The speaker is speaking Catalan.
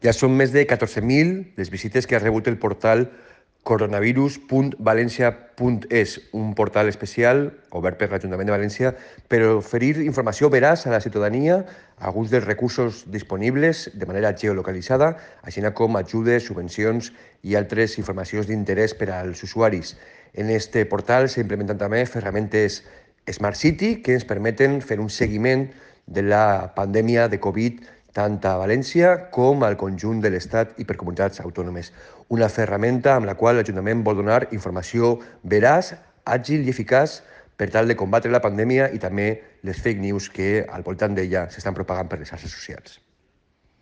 Ja són més de 14.000 les visites que ha rebut el portal coronavirus.valencia.es, un portal especial obert per l'Ajuntament de València per oferir informació veraç a la ciutadania, alguns dels recursos disponibles de manera geolocalitzada, així com ajudes, subvencions i altres informacions d'interès per als usuaris. En este portal s'implementen també ferramentes Smart City que ens permeten fer un seguiment de la pandèmia de Covid tant a València com al conjunt de l'Estat i per comunitats autònomes. Una ferramenta amb la qual l'Ajuntament vol donar informació veraç, àgil i eficaç per tal de combatre la pandèmia i també les fake news que al voltant d'ella s'estan propagant per les xarxes socials.